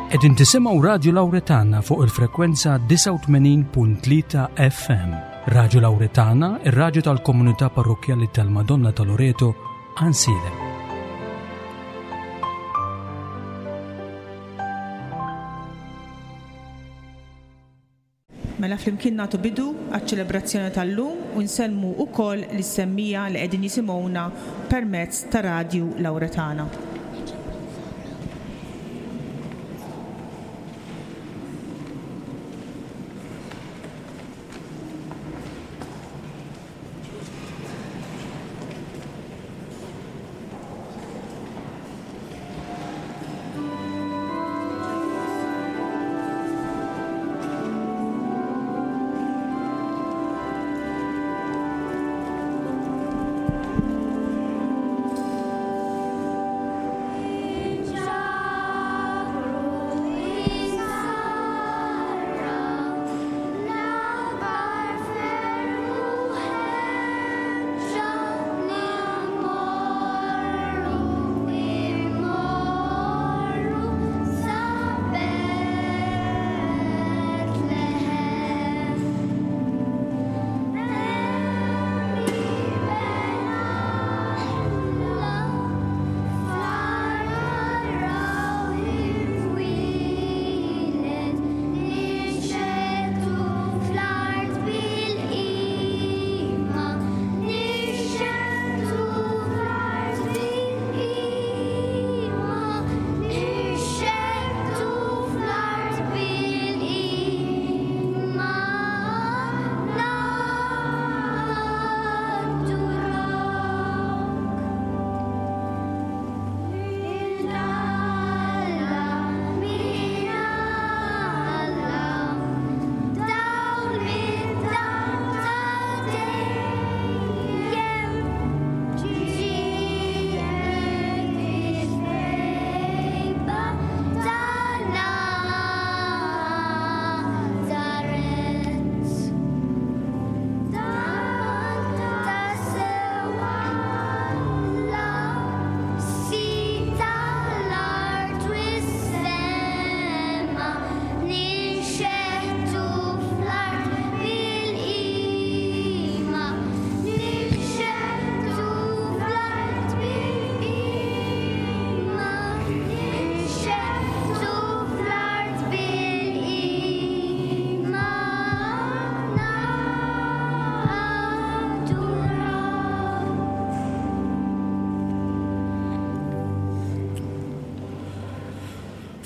Qegħdin tisimgħu Radju Lawretana fuq il-frekwenza 89.3 FM. Radju Lawretana, ir-radju tal-komunità parrokkjali tal-Madonna ta' Loreto, Ansilem. Mela flimkien nagħtu bidu għaċ-ċelebrazzjoni tal-lum u nsellmu wkoll lis-semmiegħa li qegħdin jisimgħuna permezz ta' Radju Lawretana.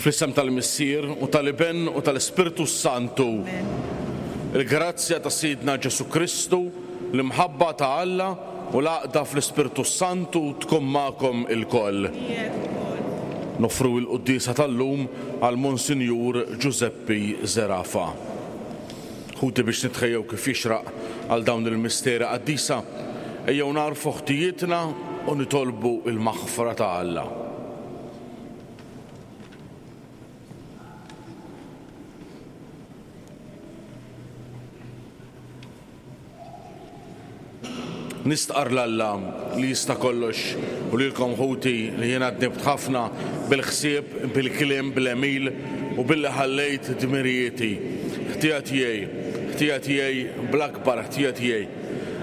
Fl-isem tal-Missier u tal-Iben u tal-Ispirtu s-Santu. Il-grazzja ta' Sidna Ġesù Kristu, l-imħabba ta' Alla u l-għaqda fl-Ispirtu s-Santu tkun magħkom ilkoll. Noffru l-quddiesa tal-lum għal Monsinjur Ġużeppi Zerafa. Ħuti biex nitħejjew kif jixraq għal dawn il-misteri qaddisa, ejjew nagħrfu ħtijietna u nitolbu l-maħfra ta' Alla. Nistqarr 'l Alla li jista' kollox u lilkom ħuti li jiena dnibt ħafna bil-ħsieb, bil-kliem, bl-għemil u billi ħallejt dmirijieti. Ħtija tiegħi, ħtija tiegħi, bl-akbar ħtija tiegħi.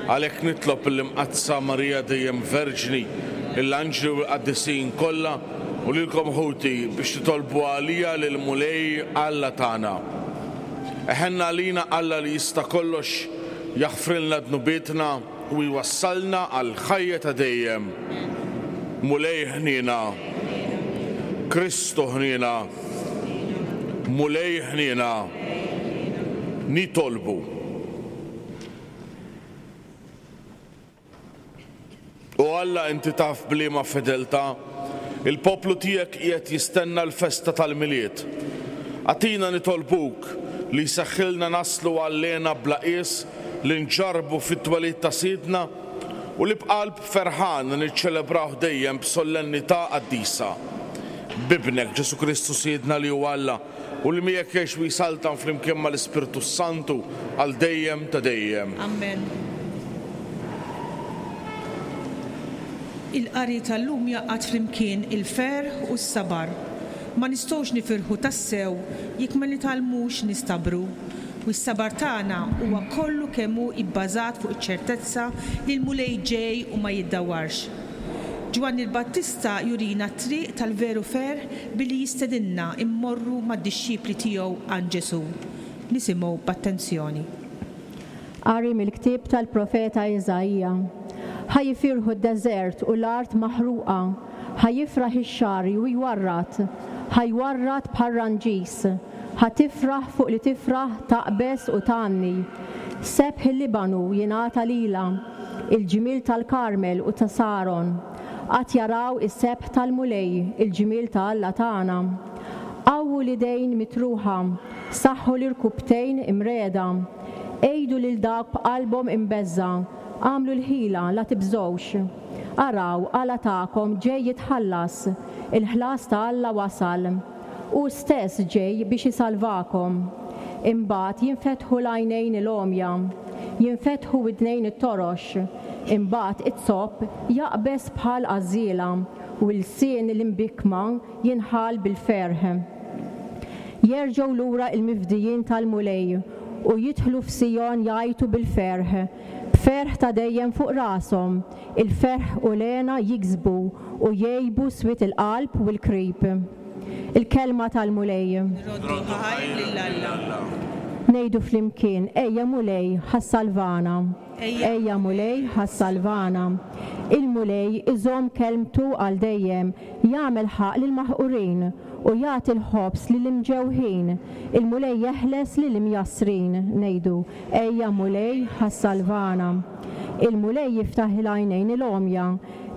Għalhekk nitlob lill-Imqaddsa Marija dejjem Verġni, lill-anġli u l-qaddisin kollha u lilkom ħuti biex titolbu għalija lill-Mulej Alla tagħna. Iħenn għalina Alla li jista' kollox, jaħfrilna dnubietna u jwassalna għall-ħajja ta' dejjem. Mulej ħniena. Kristu ħniena. Mulej ħniena. Nitolbu. O Alla, inti taf b'liema fedeltà il-poplu tiegħek qiegħed jistenna l-festa tal-Milied. Agħtina nitolbuk li jseħħilna naslu għall-hena bla qies li nġarrbu fit-twelid ta' Sidna u li b'qalb ferħana niċċelebrawh dejjem b'sollennità qaddisa. B'Ibnek, Ġesù Kristu Sidna li hu Alla, U li miegħek jgħix u jsaltan flimkien mal-Ispirtu s-Santu għal dejjem ta' dejjem. Ammen. Il-qari tal-lum jgħaqqad flimkien il-ferħ u s-sabar. Ma nistgħux nifirħu tassew jekk ma nitgħallmux nistabru. U s-sabar tagħna huwa kollu kemm hu ibbażat fuq iċ-ċertezza li l-Mulej ġej u ma jiddawwarx. Ġwanni l-Battista jurina t-triq tal-veru ferħ billi jistedinna mmorru mad-dixxipli tiegħu għand Ġesù. Nisimgħu b'attenzjoni. Qari mill-ktieb tal-profeta Iżaija. Ħa jifirħu d-deżert u l-art maħruqa, ħa jifraħ ix-xagħri u jwarrad, ħa jwarrad bħar-ranġis, ħa tifraħ fuq li tifraħ taqbeż u tgħanni. Sebħ il-Libanu jingħata lilha, il-ġmiel tal-Karmel u ta' Saron. Għad jaraw is-sebħ tal-Mulej, il-ġmiel ta' Alla tagħna. Qawwu l-idejn mitruħa, saħħu l-irkupptejn imregħda. Għidu lil dawk b'qalbhom imbeżżgħa, Agħmlu l-ħila, la tibżgħux. Araw, Alla tagħkom ġej jitħallas, il-ħlas ta' Alla wasal. Hu stess ġej biex isalvakom. Imbagħad jinfetħu l-għajnejn il-għomja, jinfetħu widnejn it-torox, imbagħad iz-zopp jaqbeż bħal għażżiela, u lsien l-imbikkma jinħall bil-ferħ. Jerġgħu lura l-mifdijin tal-Mulej u jidħlu f'Sijon jgħajtu bil-ferħ, b'ferħ ta' dejjem fuq rashom, il-ferħ u l-hena jiksbu u jgħibu swied il-qalb u l-krib. Il-Kelma tal-Mulej. Nroddu ħajr lil Alla. Ngħidu flimkien, Ejja Mulej, ħa ssalvana. Ejja Mulej, ħa ssalvana. Il-Mulej iżomm kelmtu għal dejjem, jagħmel ħaqq lill-maħqurin, u jagħti l-ħobż lill-imġewħin. Il-Mulej jeħles lill-imjassrin. Ngħidu, Ejja Mulej, ħa ssalvana. Il-Mulej jiftaħ il-għajnejn il-għomja,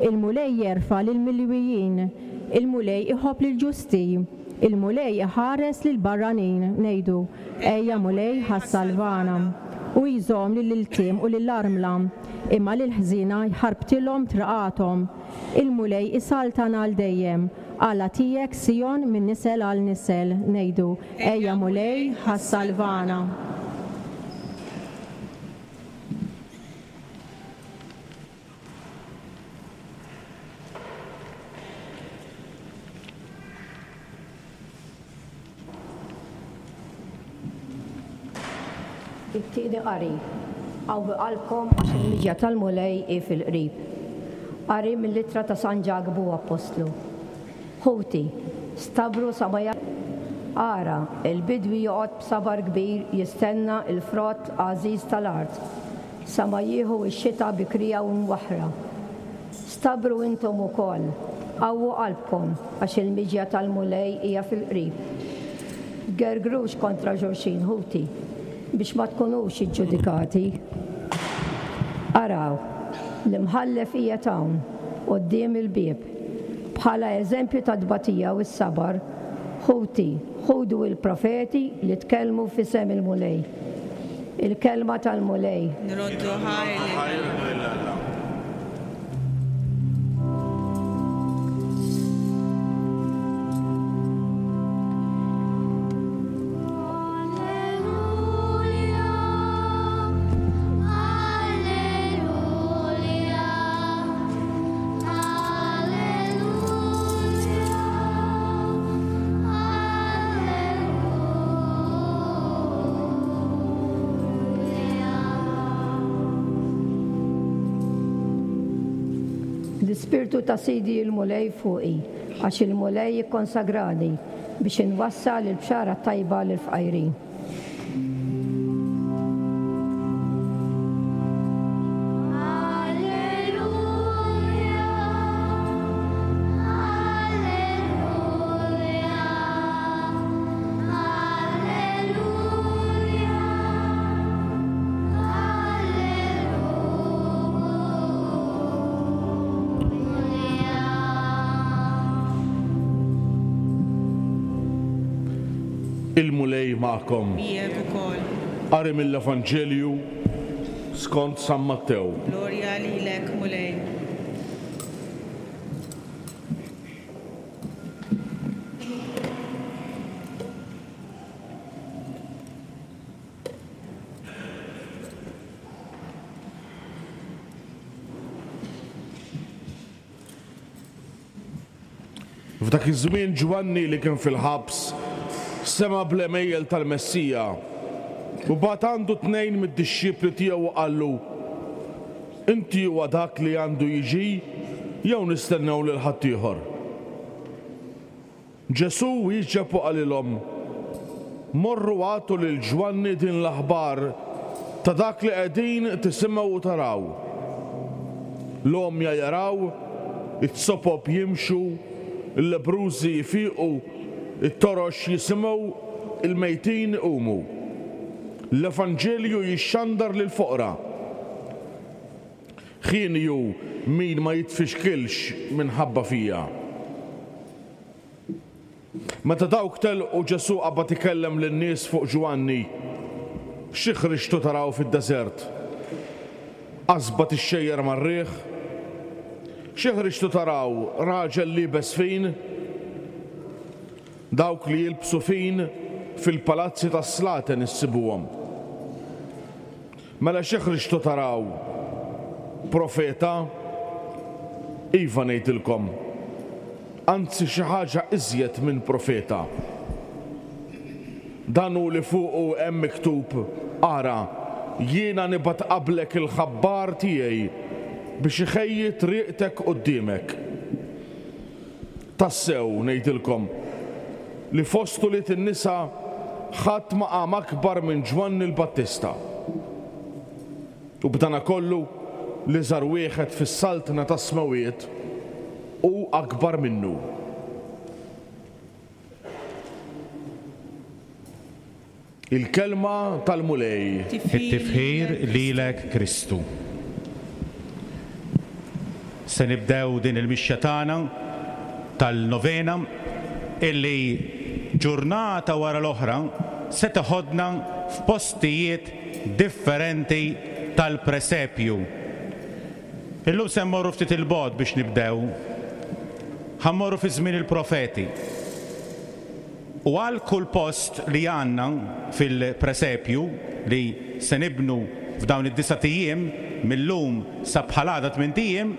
il-Mulej jerfa' lill-milwijin. Il-Mulej iħobb lill-ġusti, il-Mulej iħares lill-barranin. Ngħidu, Ejja Mulej, ħa ssalvana. Hu jżomm lill-iltim u lill-armla, imma lill-ħżiena jħarbtilhom triqathom. Il-Mulej isaltan għal dejjem, Alla tiegħek, Sijon, minn nisel għal nisel. Ngħidu, Ejja Mulej, ħa ssalvana. It-tieni qari, Qawwi qalbkom għax il-miġja tal-Mulej hi fil-qrib. Qari mill-ittra ta' San Ġakbu Appostlu. Ħuti, stabru sa ma Ara, il-bidwi joqgħod b'sabar kbir jistenna l-frott għażiż tal-art, sa ma jieħu x-xita bikrija u mwaħħra. Stabru intom ukoll, qawwu qalbkom, għax il-miġja tal-Mulej hija fil-qrib. Tgergrux kontra xulxin, ħuti, biex ma tkunux iġġudikati. Araw, l-Imħallef qiegħed hawn, quddiem il-bieb. Bħala eżempju tat-tbatija u s-sabar, ħuti, ħudu l-profeti li tkellmu f'isem il-Mulej. Il-Kelma tal-Mulej. Nroddu ħajr lil Alla. L-Ispirtu ta' Sidi l-Mulej fuqi, għax il-Mulej ikkonsagrani biex inwassal il-bxara t-tajba lill-fqajrin. Il-Mulej magħkom. Miegħek ukoll. Qari mill-Evanġelju skont San Mattew. Glorja lilek, Mulej. F'dak iż-żmien Ġwanni li kien fil-ħabs sema' bl-għemejjel tal-Messija u bagħat għandu tnejn mid-dixxipli tiegħu u qallu, Inti huwa dak li għandu jiġi jew nistennew lil ħaddieħor? Ġesù wieġeb u qalilhom, Morru agħtu lil Ġwanni din l-aħbar ta' dak li qegħdin tisimgħu u taraw. L-għomja jaraw, it-sopop jimxu, il-lebbrużi jfiqu, it-torox jisimgħu, il-mejtin iqumu. L-Evanġelju jixxandar lill-foqra. Ħieni hu min ma jitfixkilx minħabba fija. Meta dawk telqu, Ġesù qabad ikellem lin-nies fuq Ġwanni, Xi ħriġtu taraw fid-deżert? Qasba tixxejjer mar-riħ? Xi ħriġtu taraw, raġel liebes fin? Dawk li jilbsu fin fil-palazzi tas-slaten issibuhom. Mela xi ħriġtu taraw? Profeta? Iva ngħidilkom, anzi xi ħaġa iżjed minn profeta. Dan hu li fuqu hemm miktub, 'Ara, jiena nibgħat qablek il-ħabbar tiegħi biex iħejji triqtek quddiemek. Tassew, ngħidilkom, li fost ulied in-nisa ħadd ma qam akbar minn Ġwanni l-Battista. U b'danakollu, l-iżgħar wieħed fis-saltna tas-smewwiet hu akbar minnu. Il-Kelma tal-Mulej. It-tifħir lilek Kristu. Se nibdew din il-mixja tagħna tal-novena illi ġurnata wara l-oħra se teħodna f'postijiet differenti tal-presepju. Illum se mmorru ftit 'il bogħod biex nibdew. Ħa mmorru fi żmien il-profeti. U għal kull post li għandna fil-presepju li se nibnu f'dawn id-disat ijiem, mil-lum sa bħal għada tmint ijiem,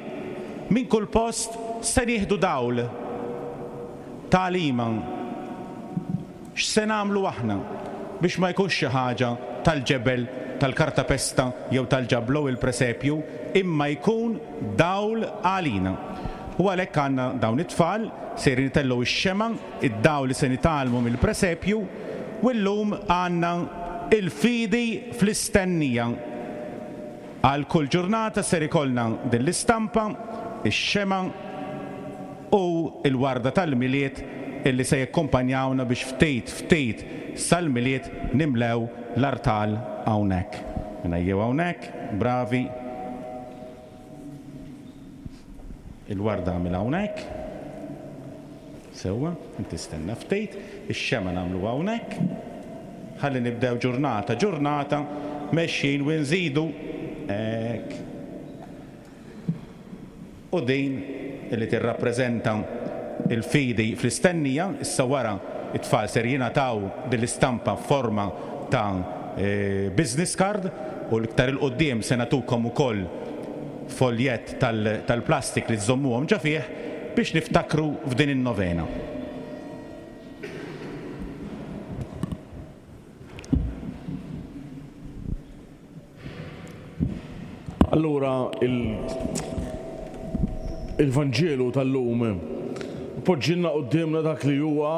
minn kull post se nieħdu dawl, tagħlima. X'se nagħmlu aħna biex ma jkunx xi ħaġa tal-ġebel, tal-kartapesta jew tal-ġablow il-presepju, imma jkun dawl għalina. U għalhekk għandna dawn it-tfal sejrin itellgħu x-xemgħa, id-dawl li se nitgħallmu mill-presepju, u llum għandna il-fidi fl-istennija. Għal kull ġurnata ser ikollna din l-istampa, ix-xemgħa u l-warda tal-Milied illi se jakkumpanjawna biex ftit ftit sal-Milied nimlew l-artal hawnhekk. Mela ejjew hawnhekk, bravi. Il-warda għamilha hawnhekk. Sewwa, inti stenna ftit, ix-xemgħa nagħmluha hawnhekk. Ħalli nibdew ġurnata ġurnata mexjin u nżidu hekk. U din li tirrappreżenta l-fidi fl-istennija, issa wara t-tfal ser jingħataw din l-istampa f'forma ta' business card u l-iktar 'il quddiem se nagħtukom ukoll foljett tal-plastik li żżommuhom ġo fih biex niftakru f'din in-novena. Allura il-Vanġelu tal-lum poġġilna quddiemna dak li huwa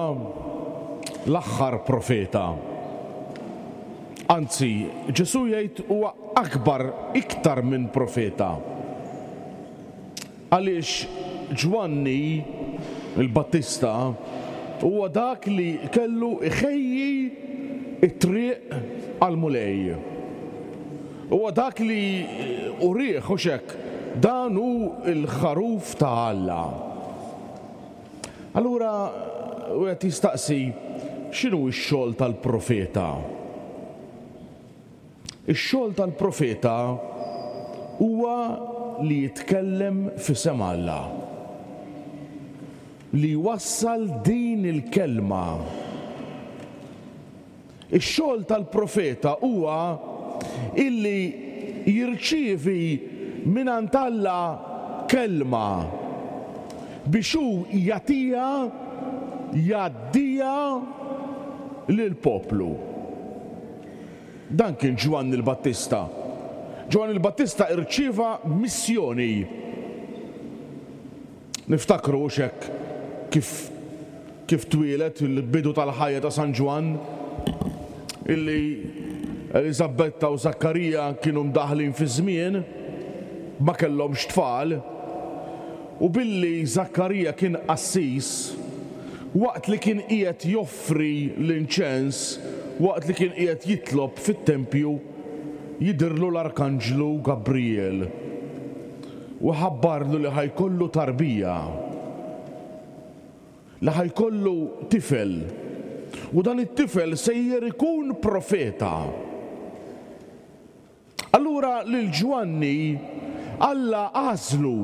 l-aħħar profeta. Anzi, Ġesù jgħid huwa akbar iktar minn profeta. Għaliex Ġwanni l-Battista huwa dak li kellu jħejji t-triq għall-Mulej. Huwa dak li urieh, hux hekk, dan hu l-Ħaruf ta' Alla. Allura wieħed jistaqsi, x'inhu x-xogħol tal-profeta? Ix-xogħol tal-profeta huwa li jitkellem f'isem Alla, li jwassal din il-kelma. Ix-xogħol tal-profeta huwa illi jirċievi mingħand Alla kelma. biex hu jagħtiha, jgħaddiha lill-poplu. Dan kien Ġwanni l-Battista. Ġwanni l-Battista irċieva missjoni. Niftakru hux hekk kif kif twieled il-bidu tal-ħajja ta' San Ġwann illi Eliżabetta u Żakkarija kienu mdaħħlin fiż-żmien, ma kellhomx tfal, u billi Żakkarija kien qassis, waqt li kien qiegħed joffri l-inċens, waqt li kien qiegħed jitlob fit-tempju, jidhirlu l-arkanġlu Gabrijel u ħabbarlu li ħa jkollu tarbija, li ħa jkollu tifel, u dan it-tifel sejjer ikun profeta. Allura lil Ġwanni Alla għażlu,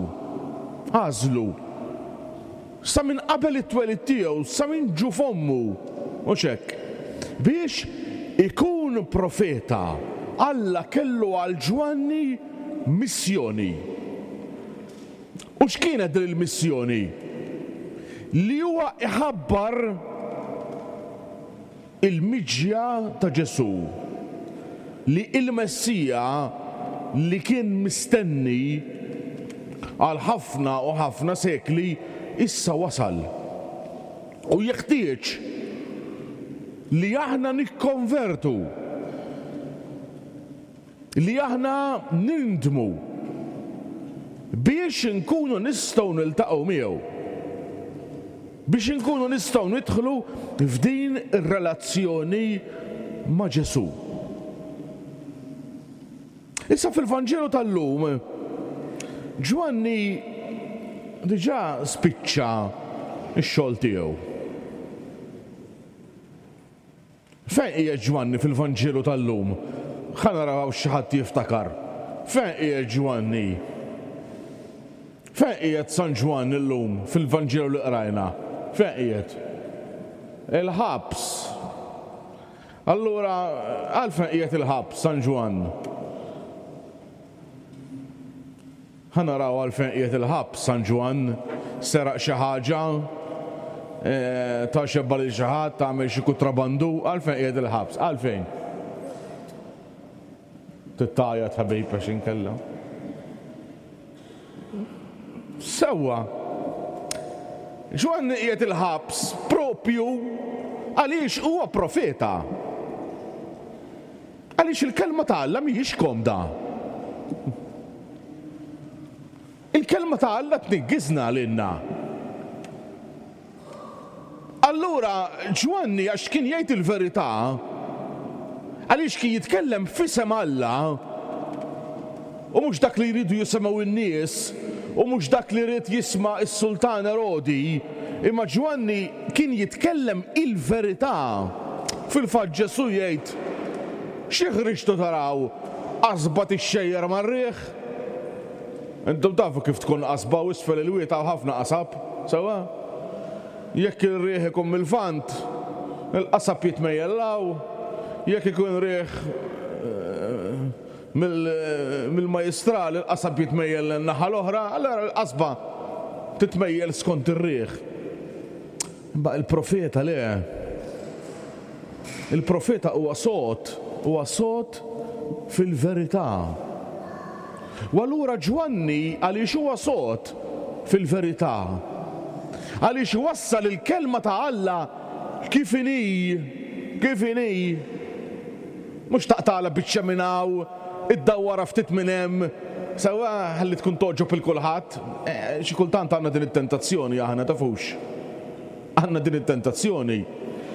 għażlu, sa minn qabel it-twelid tiegħu, sa minn ġuf ommu, mhux hekk, biex ikun profeta. Alla kellu għal Ġwanni missjoni. U x'kienet din il-missjoni? Li huwa iħabbar il-miġja ta' Ġesù, li il-Messija li kien mistenni għal ħafna u ħafna sekli issa wasal. U jeħtieġ li aħna nikkonvertu. Li aħna nindmu biex inkunu nistgħu niltaqgħu miegħu. Biex inkunu nistgħu nidħlu f'din ir-relazzjoni ma' Ġesù. Issa fil-Vanġelu tal-lum, Ġwanni diġà spiċċa x-xogħol tiegħu. Fejn qiegħed Ġwanni fil-Vanġelu tal-lum? Ħa naraw hawn xi ħadd jiftakar. Fejn qiegħed Ġwanni? Fejn qiegħed San Ġwann illum fil-Vanġelu li qrajna? Fejn qiegħed? Il-ħabs. Allura għalfejn qiegħed il-ħabs San Ġwann? Ħa naraw għalfejn qiegħed il-ħabs San Ġwann, seraq xi ħaġa, ta xebba lil xi ħadd, għamel xi kutrabandu, għalfejn qiegħed il-ħabs? Għalfejn? Trid tgħajjat ħabib għax inkella. Sewwa. Ġwanni qiegħed il-ħabs propju għaliex huwa profeta. Għaliex il-Kelma ta' Alla mhijiex komda. Il-Kelma ta' Alla tniggiżna lilna. Allura Ġwanni għax kien jgħid il-verità, għaliex kien jitkellem f'isem Alla, u mhux dak li jridu jisimgħu n-nies, u mhux dak li ried jisma' s-sultan Erodi, imma Ġwanni kien jitkellem il-verità. Fil-fatt Ġesù jgħid, Xi ħriġtu taraw? Qasba tixxejjer mar-riħ? Intom tafu kif tkun qasba u isfel il-wied hawn ħafna qasab, sewwa? Jekk ir-riħ ikun mil-Lvant, il-qasab jitmejjel 'l hawn, jekk ikun riħ mill-majjistral il-qasab jitmejjel lin-naħa l-oħra, allura l-qasba titmejjel skont ir-riħ. Imma il-profeta le. Il-profeta huwa sod, huwa sod fil-verità. U allura Ġwanni għaliex huwa sod fil-verità? Għaliex iwassal il-kelma ta' Alla kif inhi, kif inhi. Mhux taqtagħlha biċċa minn hawn, iddawwarha ftit minn hemm, sewwa ħalli tkun togħġob 'il kulħadd. Xi kultant għandna din it-tentazzjoni aħna, tafux. Għandna din it-tentazzjoni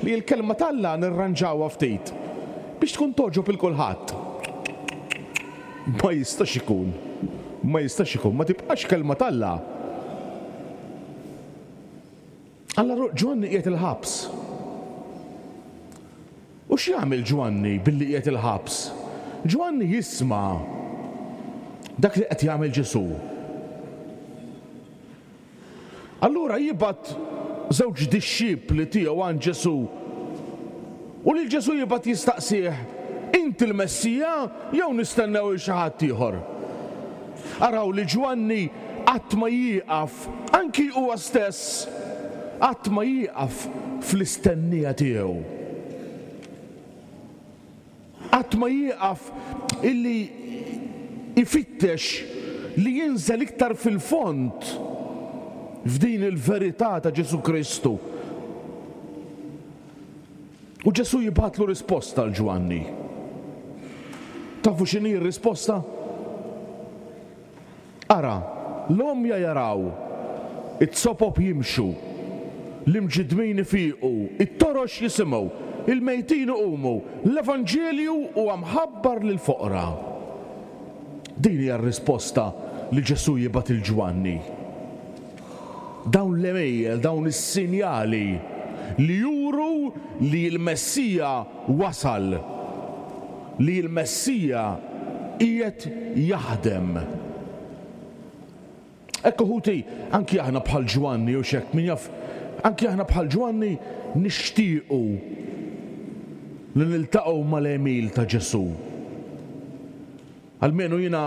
li l-Kelma t'Alla nirranġawha ftit biex tkun togħġob 'il kulħadd. Ma jistax ikun. Ma jistax ikun. Ma tibqax Kelma t'Alla. Alla Ġwanni qiegħed il-ħabs. U x'jagħmel Ġwanni billi qiegħed il-ħabs? Ġwanni jisma' dak li qed jagħmel Ġesù. Allura jibgħat żewġ dixxipli tiegħu għand Ġesù. U lil Ġesù jibgħat jistaqsih, Inti l-Messija jew nistennew 'il xi ħadd ieħor? Araw li Ġwanni. qatt ma jieqaf, anki huwa stess, qatt ma jieqaf fl-istennija tiegħu. Qatt ma jieqaf illi jfittex li jinżel iktar fil-fond f'din il-verità ta' Ġesù Kristu. U Ġesù jibgħatlu risposta 'l Ġwanni. Tafu x'inhi r-risposta? Ara, l-għomja jaraw, it-sopop jimxu, l-imġiddmin ifiqu, it-torox jisimgħu, il-mejtin iqumu, l-evanġelju huwa mħabbar lill-foqra. Din hija r-risposta li Ġesù jibgħat 'il Ġwanni. Dawn l-għemejjel, dawn is-sinjali li juru li l-Messija wasal, li l-Messija qiegħed jaħdem. Ekku ħuti, anki aħna bħal Ġwanni, hux hekk, min jaf, anki aħna bħal Ġwanni nixtiequ li niltaqgħu mal-għemil ta' Ġesù. Almenu jiena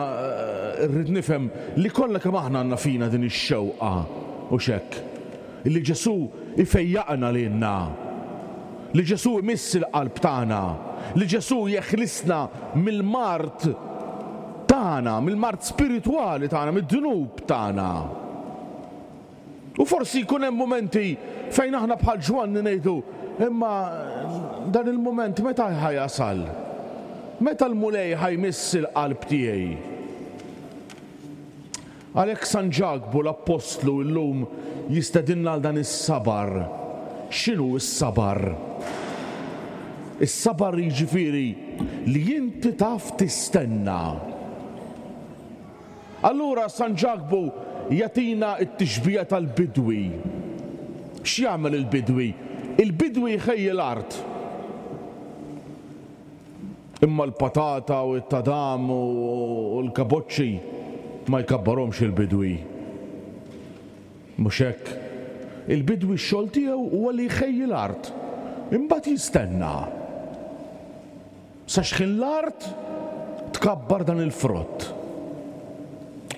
rrid nifhem li kollha kemm aħna għandna fina din ix-xewqa, hux hekk? Illi Ġesù jfejjaqna lilna, li Ġesù jmiss il-qalb tagħna, li Ġesù jeħlisna mill-mard tagħna, mill-mard spiritwali tagħna, mid-dnub tagħna. U forsi jkun hemm mumenti fejn aħna bħal Ġwanni ngħidu, Imma dan il-mument meta ħa jasal? Meta l-Mulej ħa jmiss il-qalb tiegħi? Għalhekk San Ġakbu l-Appostlu llum jistedinna għal dan is-sabar. X'inhu s-sabar? Is-sabar jiġifieri li inti taf tistenna. Allura San Ġakbu jagħtina t-tixbiha tal-bidwi. X'jagħmel il-bidwi? Il-bidwi jħejji l-art. Imma l-patata u t-tadam u l-kaboċċi ma jkabbarhomx il-bidwi. Mhux hekk? Il-bidwi x-xogħol tiegħu huwa li jħejji l-art. Imbagħad jistenna. Sa xħin l-art tkabbar dan il-frott.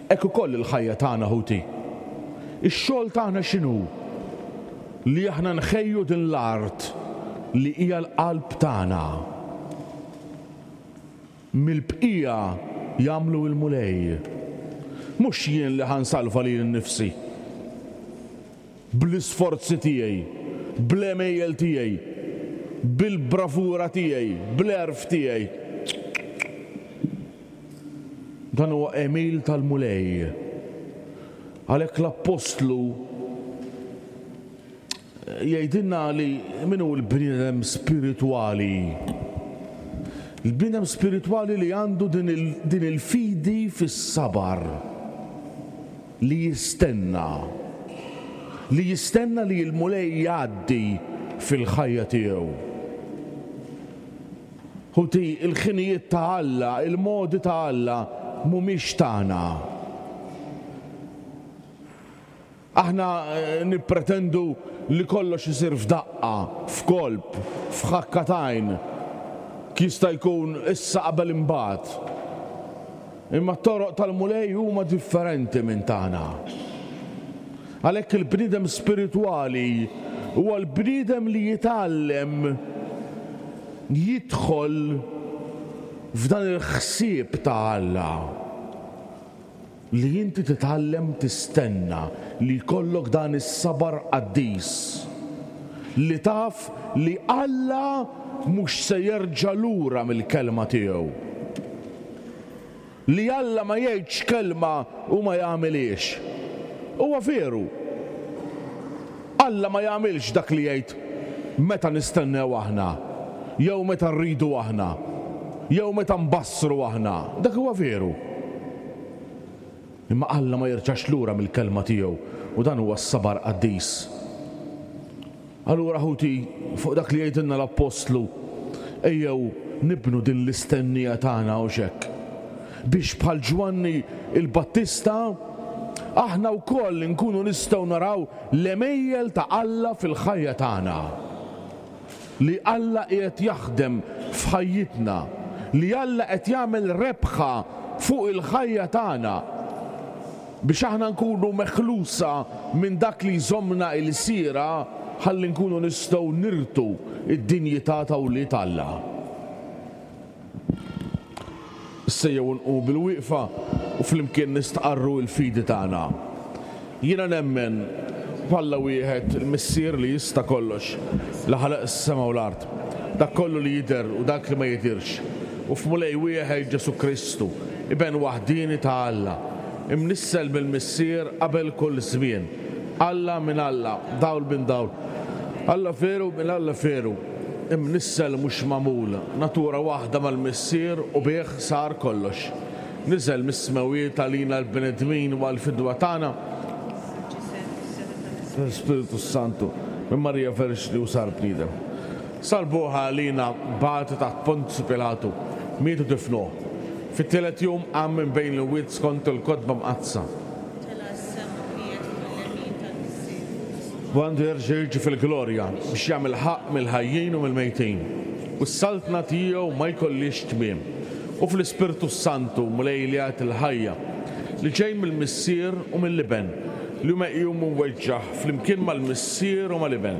Hekk ukoll il-ħajja tagħna ħuti. Ix-xogħol tagħna x'inhu? Li aħna nħejju din l-art li hija l-qalb tagħna. Mill-bqija jagħmlu l-Mulej. Mhux jien li ħa nsalva lili nnifsi. Bl-isforzi tiegħi, bl-għemejjel tiegħi, bil-bravura tiegħi, bl-għerf tiegħi. Dan huwa għemil tal-Mulej. Għalhekk l-Appostlu jgħidilna li min hu l-bniedem spiritwali? Il-bniedem spiritwali li għandu din il-fidi fis-sabar. Li jistenna. Li jistenna li l-Mulej jgħaddi fil-ħajja tiegħu. Ħuti, il-ħinijiet ta' Alla, il-modi ta' Alla mhumiex tagħna. Aħna nippretendu li kollox isir f'daqqa, f'kolp, f'ħakka t'għajn. Jista' jkun issa qabel imbagħad. Imma t-toroq tal-Mulej huma differenti minn tagħna. Għalhekk il-bniedem spiritwali huwa l-bniedem li jitgħallem jidħol f'dan il-ħsieb ta' Alla. Li inti titgħallem tistenna, li jkollok dan is-sabar qaddis. Li taf li Alla mhux se jerġa' lura mill-kelma tiegħu. Li Alla ma jgħidx kelma u ma jagħmilhiex. Huwa veru. Alla ma jagħmilx dak li jgħid meta nistennew aħna, jew meta rridu aħna, jew meta nbassru aħna. Dak huwa veru. Imma Alla ma jerġax lura mill-kelma tiegħu u dan huwa s-sabar qaddis. Allura ħuti, fuq dak li jgħidilna l-Appostlu, ejjew nibnu din l-istennija tagħna hux hekk? Biex bħal Ġwanni l-Battista, aħna wkoll inkunu nistgħu naraw l-għemejjel ta' Alla fil-ħajja tagħna. Li Alla qiegħed jaħdem f'ħajjitna, li Alla qed jagħmel rebħa fuq il-ħajja tagħna. Biex aħna nkunu meħlusa minn dak li jżommna ilsiera ħalli nkunu nistgħu nirtu d-dinjità ta' wlied Alla. Issa ejjew nqumu bilwieqfa u flimkien nistqarru l-fidi tagħna. Jiena nemmen f'Alla wieħed, il-Missier li jista' kollox, li ħalaq is-sema u l-art, dak kollu li jidher u dak li ma jidhirx, u f'Mulej wieħed Ġesù Kristu, Iben waħdieni ta' Alla, imnissel mill-Missier qabel kull żmien, Alla minn Alla, dawl minn dawl, Alla veru minn Alla veru, imnissel mhux magħmul, natura waħda mal-Missier u bih sar kollox. Niżel mis-smewwiet għalina l-bnedmin u għall-fidwa tagħna. L-Ispirtu s-Santu, minn Marija Verġni u sar bniedem. Salbuh għalina, bagħtu taħt Ponzju Pilatu, miet u difnuh. Fit-tielet jum qam minn bejn l-imwiet skont il-Kotba Mqaddsa. Tela' s-sema u qiegħed fuq il-lemin tal-Missier. U għandu jerġa' jiġi fil-glorja biex jagħmel ħaqq mill-ħajjin u mill-mejtin, u s-saltna tiegħu ma jkollhiex tmiem. U fl-Ispirtu s-Santu, Mulej li jagħti l-ħajja, li ġej mill-Missier u mill-Iben, li hu meqjum u mweġġah flimkien mal-Missier u mal-Iben,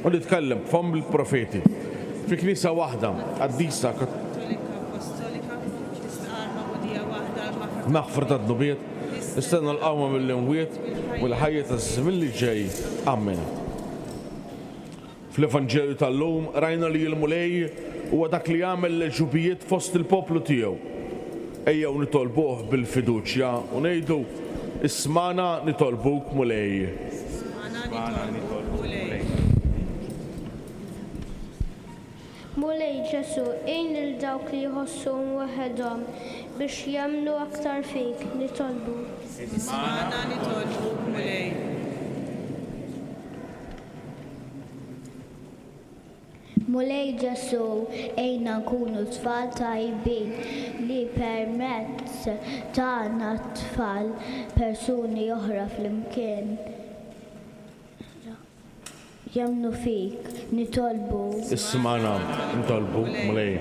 u li tkellem b'fomm il-profeti, fi Knisja waħda, qaddisa, Maħfra tad-dnubiet, nistenna l-qawma mill-imwiet u l-ħajja taż-żmien li ġej. Amen. Fl-Evanġelju tal-lum rajna li l-Mulej huwa dak li jagħmel l-għeġubijiet fost il-poplu tiegħu. Ejjew nitolbuh bil-fiduċja u ngħidu, Ismagħna nitolbuk Mulej. Ismagħna nitolbuk Mulej. Mulej Ġesù, għin lil dawk li jħossuhom waħedhom biex jemmnu aktar fik, nitolbu. Ismagħna nitolbuk, Mulej. Mulej Ġesù, għinna nkunu tfal tajbin li permezz tagħna t-tfal persuni oħra flimkien. Jemmnu fik, nitolbu. Ismagħna, nitolbuk, Mulej.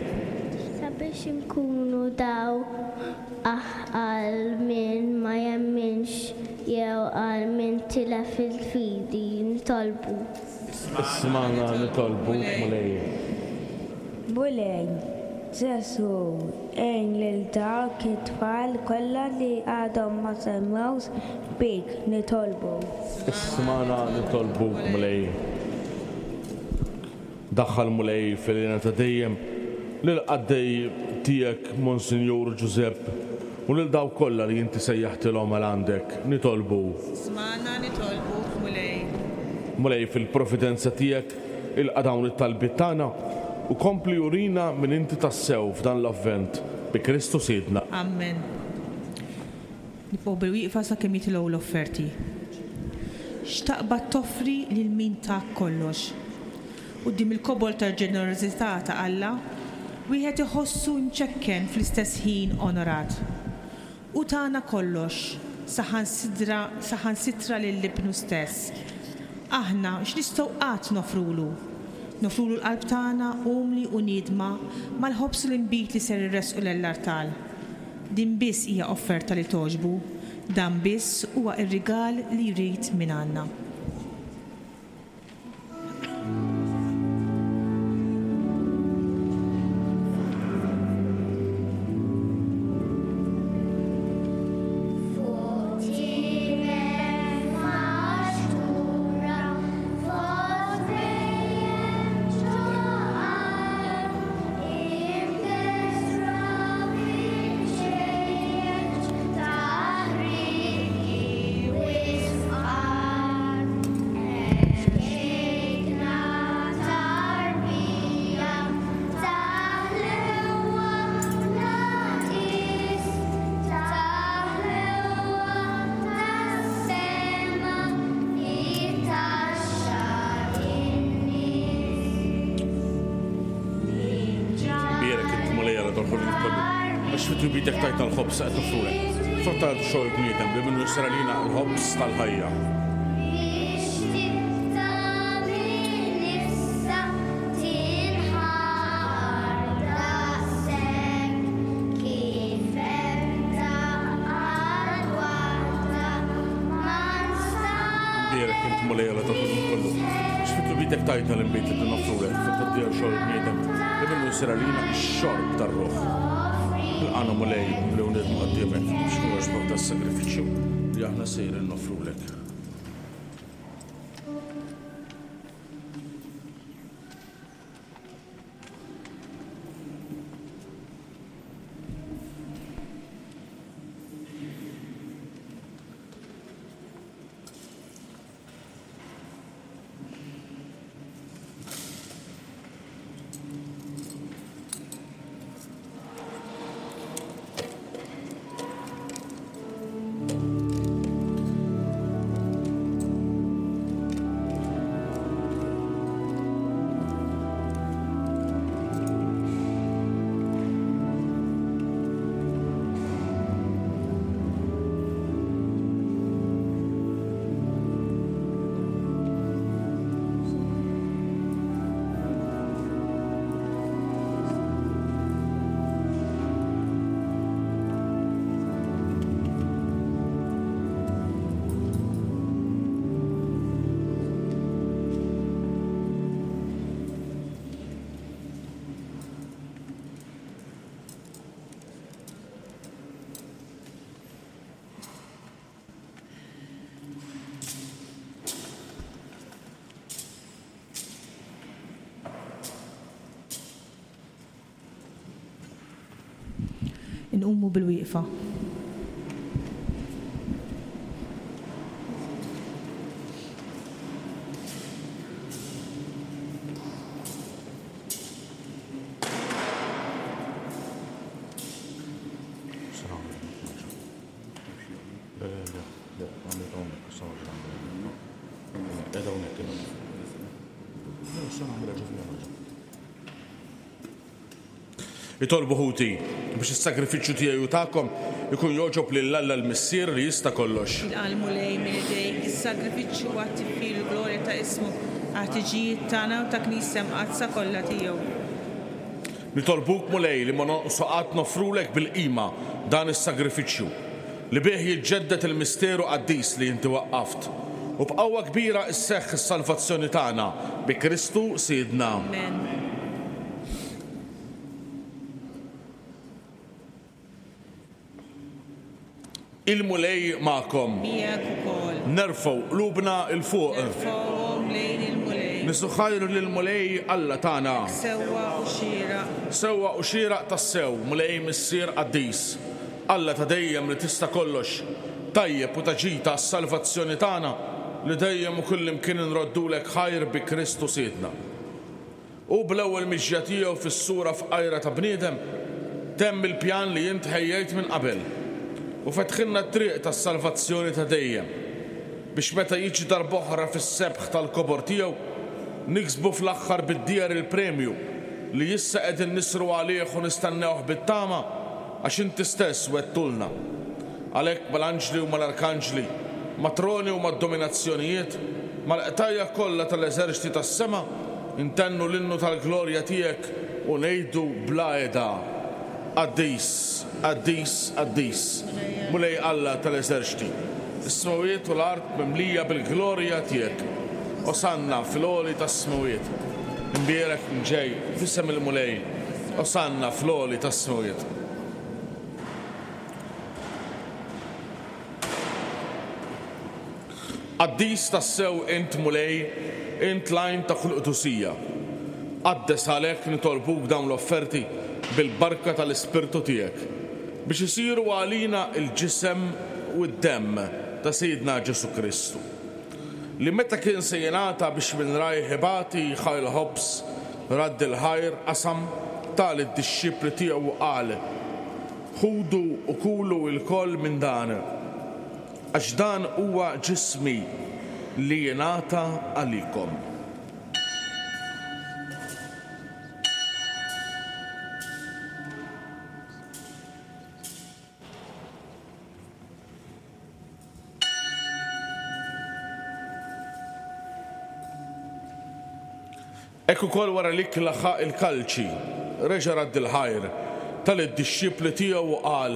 Sabiex inkunu dawl għal min ma jemminx jew għal min tilef il-fidi, nitolbu. Ismagħna, nitolbuk, Mulej. Mulej Ġesù, għin lil dawk it-tfal kollha li għadhom ma semgħux bik, nitolbu. Ismagħna nitolbuk, Mulej. Daħħal, Mulej, fil-hena ta' dejjem lill-qaddej tiegħek Monsinjur Ġużepp u lil dawk kollha li inti sejjaħtilhom għal għandek, nitolbu. Ismagħna nitolbuk, Mulej. Mulej, fil-providenza tiegħek Ilqa' dawn it-talbiet tagħna u kompli urina min inti tassew f'dan l-Avvent, bi Kristu Sidna. Ammen. Nibqgħu bil-wieqfa sakemm jitilgħu l-offerti. X'taqbad toffri lil min tak kollox? Quddiem il-kobol tal-ġenerożità ta' Alla, wieħed iħossu imċekken fl-istess ħin onorat. Hu tana kollox, saħansitra, saħansitra lil Ibnu stess. Aħna x'nistgħu qatt noffrulu? Noffrulu l-qalb tagħna umli u niedma mal-ħobż u l-inbid li ser irressqu lell-artal. Din biss hija offerta li togħġbu, dan biss huwa r-rigal li jrid mingħandna. Bierek int Mulej Alla tal-ħolqien kollu, għax fi tjubitek tajtna l-ħobż qed noffrulek. Frott tal-art u xogħol il-bniedem li minnu jsir għalina l-ħobż tal-ħajja. nitolbuk il-ħin kollu biex fi tlubitek tgħidna l-inbid li noffrulek fit-tgħaddija xogħol il-bniedem li minnu jsir għalina x-xorb tar-ruħ. Ilqagħna Mulej li u nidmu quddiemek biex nogħġbok das-sagrifiċċju li aħna sejrin noffrulek. Inqumu bil-wieqfa. Itolbu ħuti biex is-sagrifiċċju tiegħi u tagħkom ikun jogħġob lil Alla l-Missier li jista' kollox. Ilqa' l-Mulej minn idejk is-sagrifiċċju għat-tifħir u l-glorja ta' ismu, għall-ħtiġijiet tagħna u ta' Knisja Mqaddsa kollha tiegħu. Nitolbuk, Mulej, li ma nonqsu qatt noffrulek bil-qima dan is-sagrifiċċju, li bih jiġġedded il-misteru qaddis li inti waqqaft, u b'qawwa kbira sseħħ is-salvazzjoni tagħna bi Kristu Sidna. Amen. Il-Mulej magħkom. Miegħek ukoll. Nerfgħu qlubna 'l fuq. Nerfgħuhom lejn il-Mulej. Niżżu ħajr lill-Mulej Alla tagħna. Hekk sewwa u xieraq. Sewwa u xieraq tassew, Mulej Missier qaddis, Alla ta' dejjem li tista' kollox, tajjeb u ta' ġid għas-salvazzjoni tagħna li dejjem u kullimkien inroddulek ħajr bi Kristu Sidna. Hu bl-ewwel mixja tiegħu fis-sura fqajra ta' bniedem temm il-pjan li int ħejjejt minn qabel u fetħilna t-triq tas-salvazzjoni ta' dejjem, biex meta jiġi darb'oħra fis-sebħ tal-kobor tiegħu, niksbu fl-aħħar bid-dieher il-premju li issa qegħdin nisru għalih u nistennewh bit-tama, għax inti stess wegħdtulna. Għalhekk mal-anġli u mal-arkanġli, mat-troni u mad-dominazzjonijiet, mal-qtajja' kollha tal-eżerċti tas-sema, intennu l-innu tal-glorja tiegħek u ngħidu bla heda, Qaddis, qaddis, qaddis, Mulej Alla tal-eżerċti, is-smewwiet u l-art mimlija bil-glorja tiegħek. Osanna fil-għoli tas-smewwiet. Imbierek min ġej f'isem il-Mulej. Osanna fl-għoli tas-smewwiet. Qaddis tassew int, Mulej, int l-għajn ta' kull qdusija. Qaddes għalhekk nitolbuk dawn l-offerti bil-barka tal-Ispirtu tiegħek, biex isiru għalina l-ġisem u d-demm ta' Sidna Ġesù Kristu, li meta kien se jingħata biex minn rajh ibati ħa l-ħobż, radd il-ħajr, qasam, ta lid-dixxipli tiegħu u qal, Ħudu u kulu lkoll minn dan, għax dan huwa ġismi li jingħata għalikom. Hekk ukoll wara l-ikla ħa l-kalċi, reġa' radd il-ħajr, ta lid-dixxipli tiegħu u qal,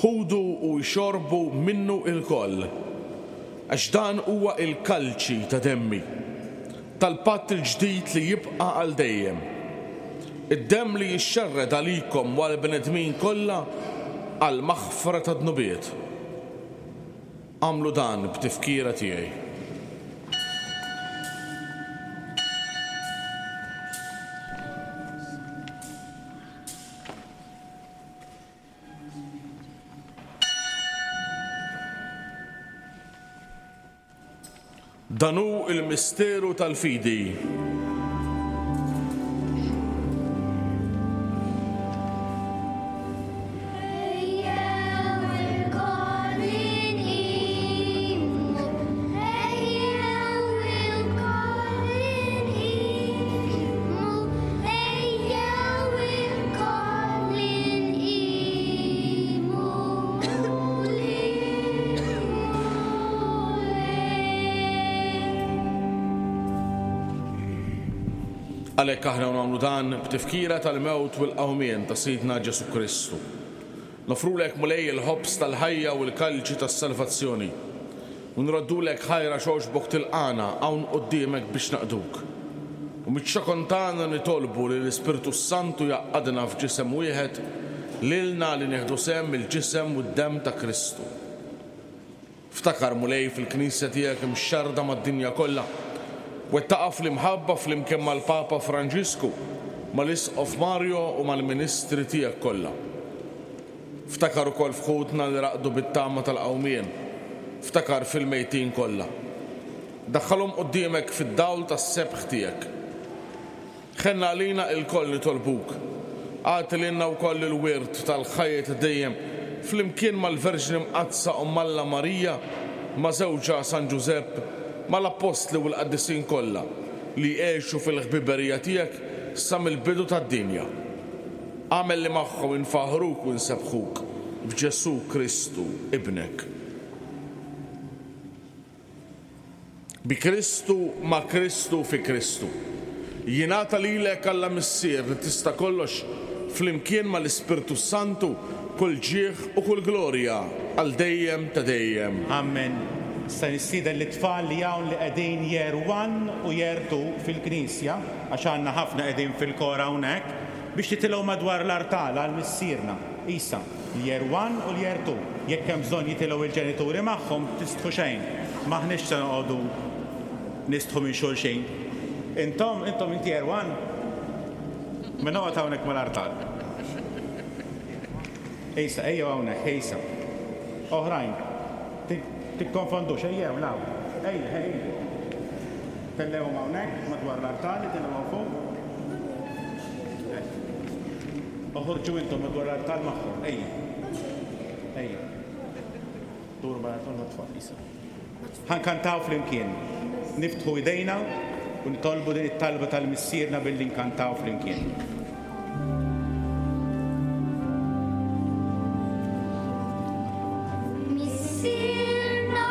Ħudu u ixorbu minnu ilkoll. Għax dan huwa l-kalċi ta' demmi, tal-patt il-ġdid li jibqa' għal dejjem. Id-demm li jixxerred għalikom u għall-bnedmin kollha għall-maħfra tad-dnubiet. Agħmlu dan b'tifkira tiegħi. Dan hu l-misteru tal-fidi. Għalhekk aħna nagħmlu dan b'tifkira tal-mewt u l-qawmien ta' Sidna Ġesù Kristu. Noffrulek Mulej il-ħobż tal-ħajja u l-kalċi tas-salvazzjoni. U nroddulek ħajr għax għoġbok tilqagħna hawn quddiemek biex naqduk. U miċ-ċokon tagħna nitolbu li l-Ispirtu s-Santu jgħaqqadna f'ġisem wieħed lilna li nieħdu sehem mill-ġisem u d-demm ta' Kristu. Ftakar, Mulej, fil-Knisja tiegħek imxerrda mad-dinja kollha. Wettaqha fl-imħabba flimkien mal-Papa Franġisku, mal-Isqof Mario u mal-ministri tiegħek kollha. Ftakar ukoll f'ħutna li raqdu bit-tama tal-qawmien. Ftakar fil-mejtin kollha. Daħħalhom quddiemek fid-dawl tas-sebħ tiegħek. Ħenn għalina ilkoll nitolbuk. Agħti lilna wkoll il-wirt tal-ħajja ta' dejjem flimkien mal-Verġni Mqaddsa Omm Alla Marija, ma' żewġha San Ġużepp, mal-Appostli u l-qaddisin kollha li għexu fil-ħbiberija tiegħek sa mill-bidu tad-dinja. Agħmel li magħhom infaħħruk u nsebbħuk b'Ġesù Kristu, Ibnek. Bi Kristu, ma' Kristu, fi Kristu. Jingħata lilek Alla Missier li tista' kollox, flimkien mal-Ispirtu s-Santu, kull ġieħ u kull glorja għal dejjem ta' dejjem. Amen. Issa nistieden lit-tfal li hawn li qegħdin year one u year two fil-knisja, għax għandna ħafna qegħdin fil-kor hawnhekk, Biex titilgħu madwar l-artal għal Missierna. Isa, l-Year One u l-Year Two. Jekk hemm bżonn jitilgħu il-ġenituri magħhom, tistħu xejn. M'aħniex se noqogħdu nistħu minn xulxin. Intom, intom inti Year One? Mela oqgħod hawnhekk mal-artal. Isa, ejjew hawnhekk, Isa. Oħrajn, tikkonfondux, ejjew 'l hawn. Ejja, ejja. Tellgħuhom hawnhekk madwar l-artal, itilgħu hawn fuq. Hekk. Oħorġu intom madwar l-artal magħhom. Ejja. Ejja. Duru mal-artal mat-tfal, Isa. Ħa nkantaw flimkien. Niftħu idejna u nitolbu din it-talba tal-Missierna billi nkantaw flimkien. Missierna,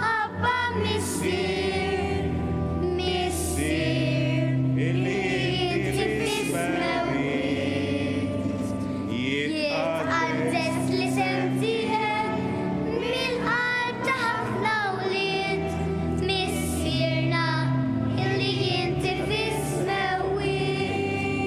Abba Missier, Missier, illi inti fis-smewwiet, jitqaddes l-isem tiegħek mill-qalb ta' ħafna wlied, Missierna, illi inti fis-smewwiet.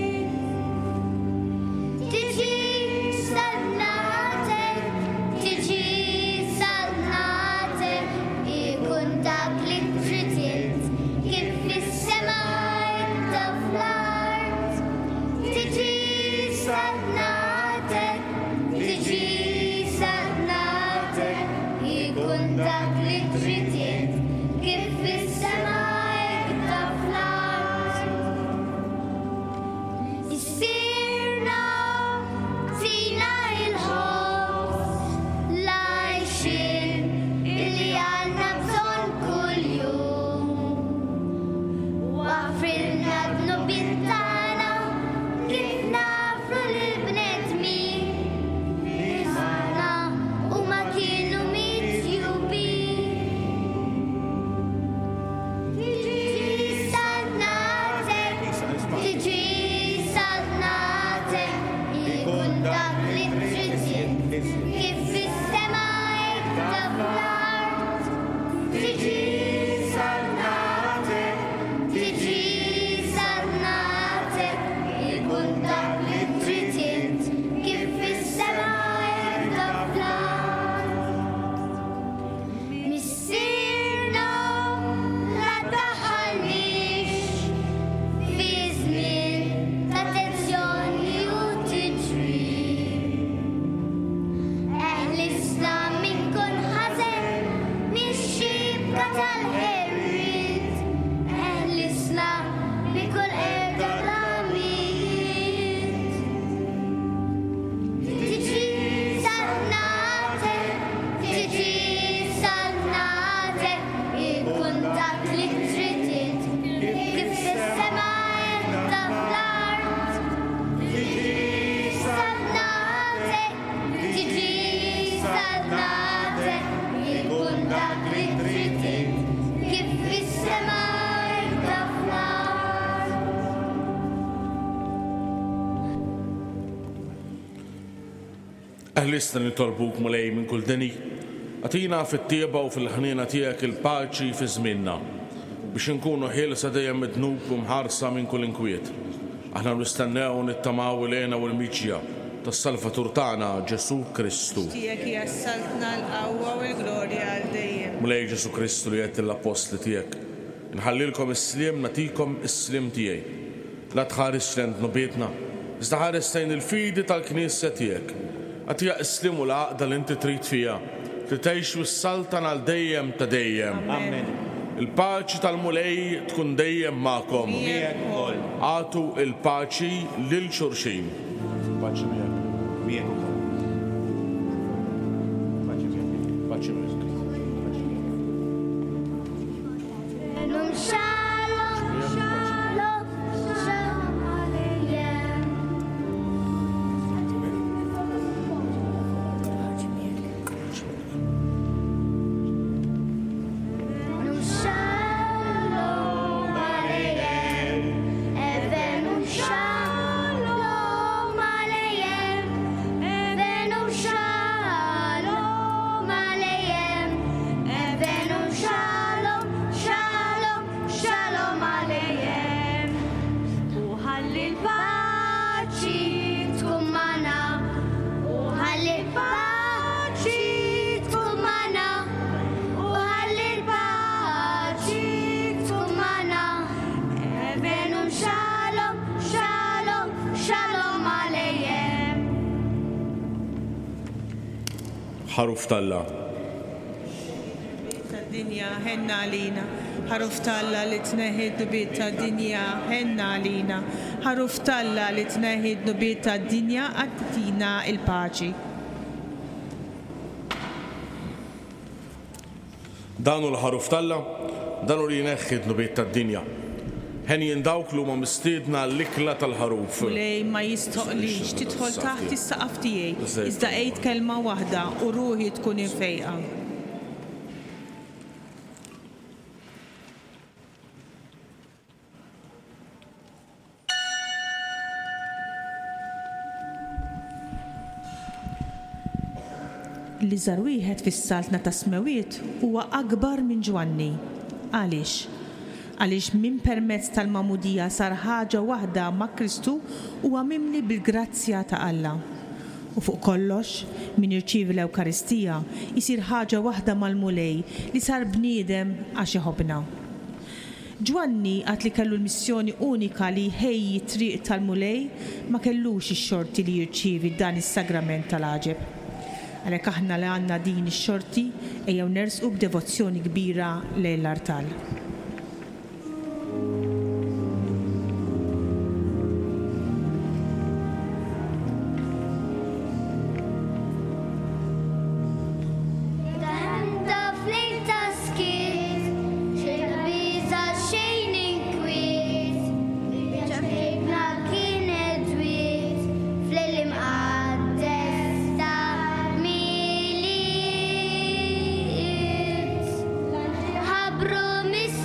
Eħlisna nitolbuk, Mulej, minn kull deni. Agħtina fit-tjieba u fil-ħniena tiegħek il-paċi fi żmienna, biex inkunu ħielsa dejjem mid-dnub u mħarsa minn kull inkwiet. Aħna nistennew u nittamaw il-hena u l-miġja tas-Salvatur tagħna, Ġesù Kristu. Għax tiegħek hija s-saltna, l-qawwa u l-glorja għal dejjem. Mulej Ġesù Kristu li għedt lill-appostli tiegħek, Inħallilkom is-sliem, nagħtikom is-sliem tiegħi. La tħarisx lejn dnubietna, iżda ħares lejn il-fidi tal-Knisja tiegħek. Agħtiha s-sliem u l-għaqda li inti trid fiha, li tgħix u ssaltan għal dejjem ta' dejjem. Amen. Il-paċi tal-Mulej tkun dejjem magħkom. Miegħek ukoll. Agħtu l-paċi lil xulxin. Paċi miegħek. Miegħek ukoll. Paċi miegħek. Paċi miegħek. Paċi miegħek. Ħaruf t'Alla. Tad-dinja, ħenna għalina. Ħaruf t'Alla li tneħħi d-dnubiet tad-dinja, ħenna għalina. Ħaruf t'Alla li tneħħi d-dnubiet tad-dinja, agħtina l-paċi. Dan hu l-Ħaruf t'Alla, dan hu li jneħħi d-dnubiet tad-dinja. Henjin dawk li huma mistiedna għall-ikla tal-Ħaruf. Mulej, ma jistħoqqlix tidħol taħt is-saqaf tiegħi, iżda għid kelma waħda u ruħi tkun imfejqa. L-iżgħar wieħed fis-Saltna tas-Smewwiet huwa akbar minn Ġwanni. Għaliex? Għaliex min permezz tal-magħmudija sar ħaġa waħda ma' Kristu huwa mimli bil-grazzja ta' Alla. U fuq kollox, min jirċievi l-Ewkaristija jsir ħaġa waħda mal-Mulej li sar bniedem għax iħobbna. Ġwanni, għad li kellu l-missjoni unika li jħejji t-triq tal-Mulej, ma kellux ix-xorti li jirċievi dan is-sagrament tal-għaġeb. Għalhekk aħna li għandna din ix-xorti, ejjew nersqu b'devozzjoni kbira lejn l-artal. Daħemta f'lejl ta' skiet, xejn ta' biża' xejn inkwiet, ċapċipna kienet dwiet f'lejl imqaddes ta' Milied. L-anġli ħabbru mis.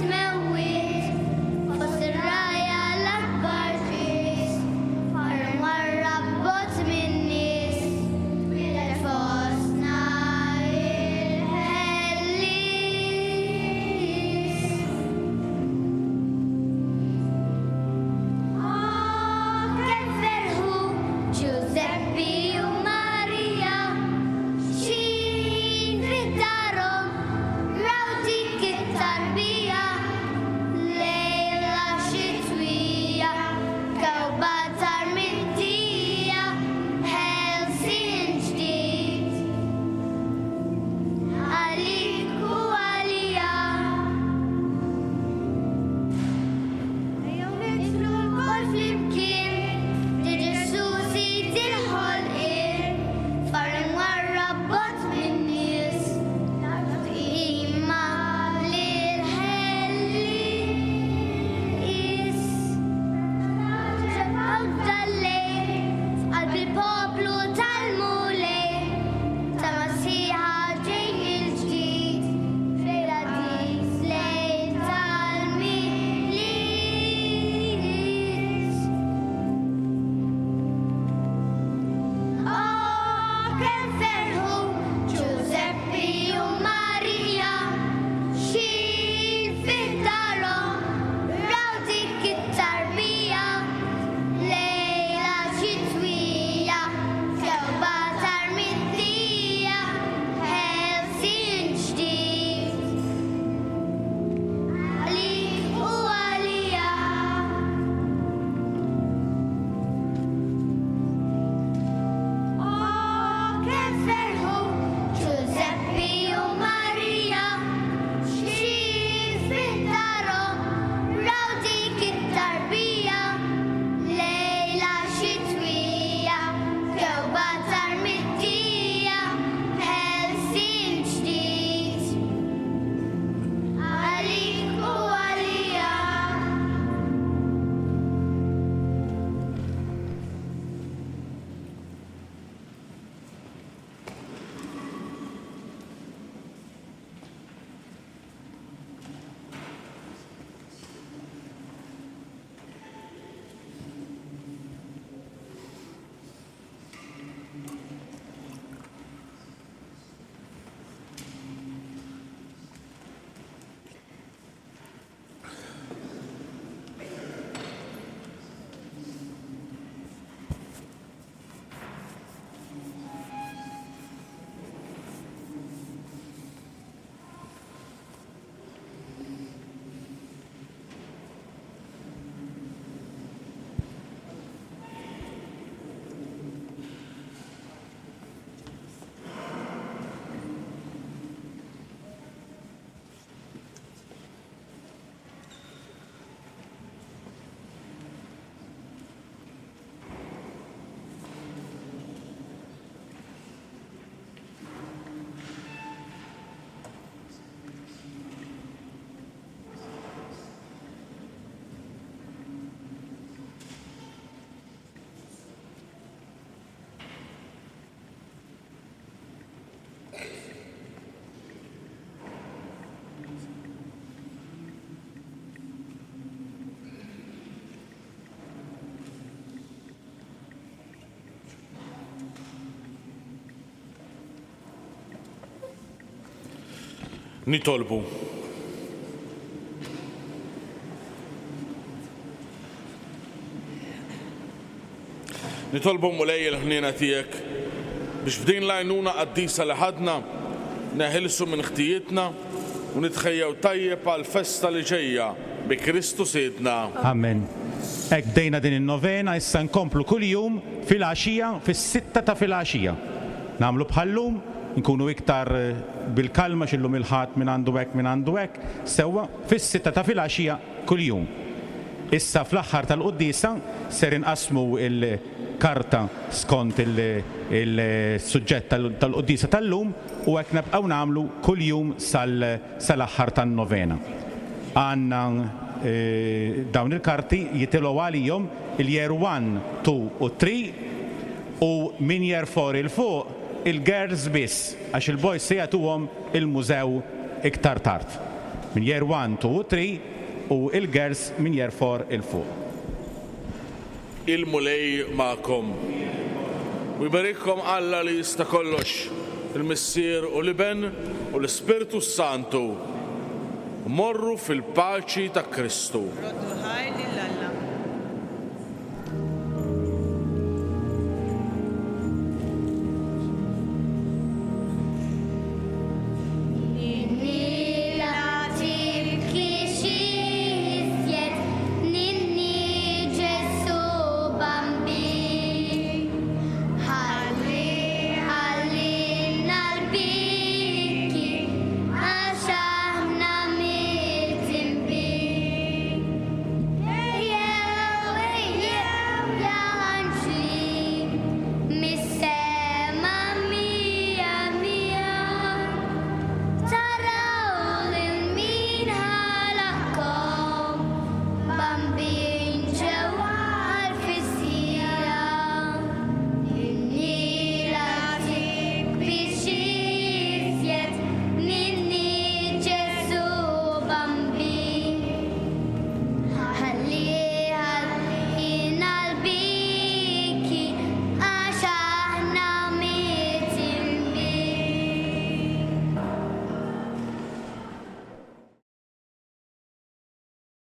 Nitolbu. Nitolbu Mulej il-ħniena tiegħek biex b'din l-għajnuna qaddisa li ħadna neħilsu minn ħtijietna u nitħejjew tajjeb għall-festa li ġejja bi Kristu Sidna. Amen. Hekk bdejna din in-novena, issa nkomplu kuljum filgħaxija fis-sitta ta' filgħaxija. Nagħmlu bħal-lum, nkunu iktar bil-kalma għax illum il-Ħadd min għandu hekk min għandu hekk, sewwa, fis-sitta ta' filgħaxija kuljum. Issa fl-aħħar tal-quddiesa ser inqassmu l-karta skont il-suġġett tal-quddiesa tal-lum u hekk nebqgħu nagħmlu kuljum sal-aħħar tan-novena. Għandna dawn il-karti jitilgħu għalihom il-year one, two u three u minn year four 'il fuq il-girls biss għax il-boys se jagħtuhom il-mużew iktar tard. Minn year one, two u three u il-girls minn year four 'il fuq. Il-Mulej magħkom. U jberikkom Alla li jista' kollox, il-Missier u l-Iben u l-Ispirtu s-Santu. Morru fil-paċi ta' Kristu. Roddu ħajr lil Alla.